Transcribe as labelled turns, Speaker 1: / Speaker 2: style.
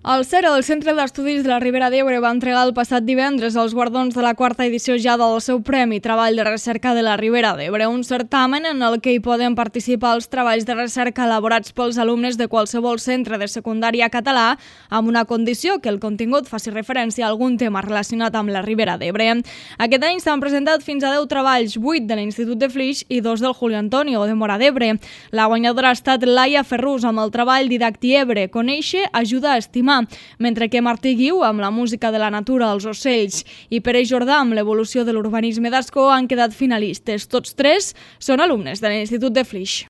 Speaker 1: El CERA, el Centre d'Estudis de la Ribera d'Ebre, va entregar el passat divendres els guardons de la quarta edició ja del seu Premi Treball de Recerca de la Ribera d'Ebre, un certamen en el que hi poden participar els treballs de recerca elaborats pels alumnes de qualsevol centre de secundària català, amb una condició, que el contingut faci referència a algun tema relacionat amb la Ribera d'Ebre. Aquest any s'han presentat fins a 10 treballs, 8 de l'Institut de Flix i 2 del Julio Antonio de Móra d'Ebre. La guanyadora ha estat Laia Ferrús amb el treball Didacti Ebre, Conèixer ajuda a estimar, mentre que Martí Guiu amb la música de la natura als ocells i Pere Jordà amb l'evolució de l'urbanisme d'Ascó han quedat finalistes. Tots tres són alumnes de l'Institut de Flix.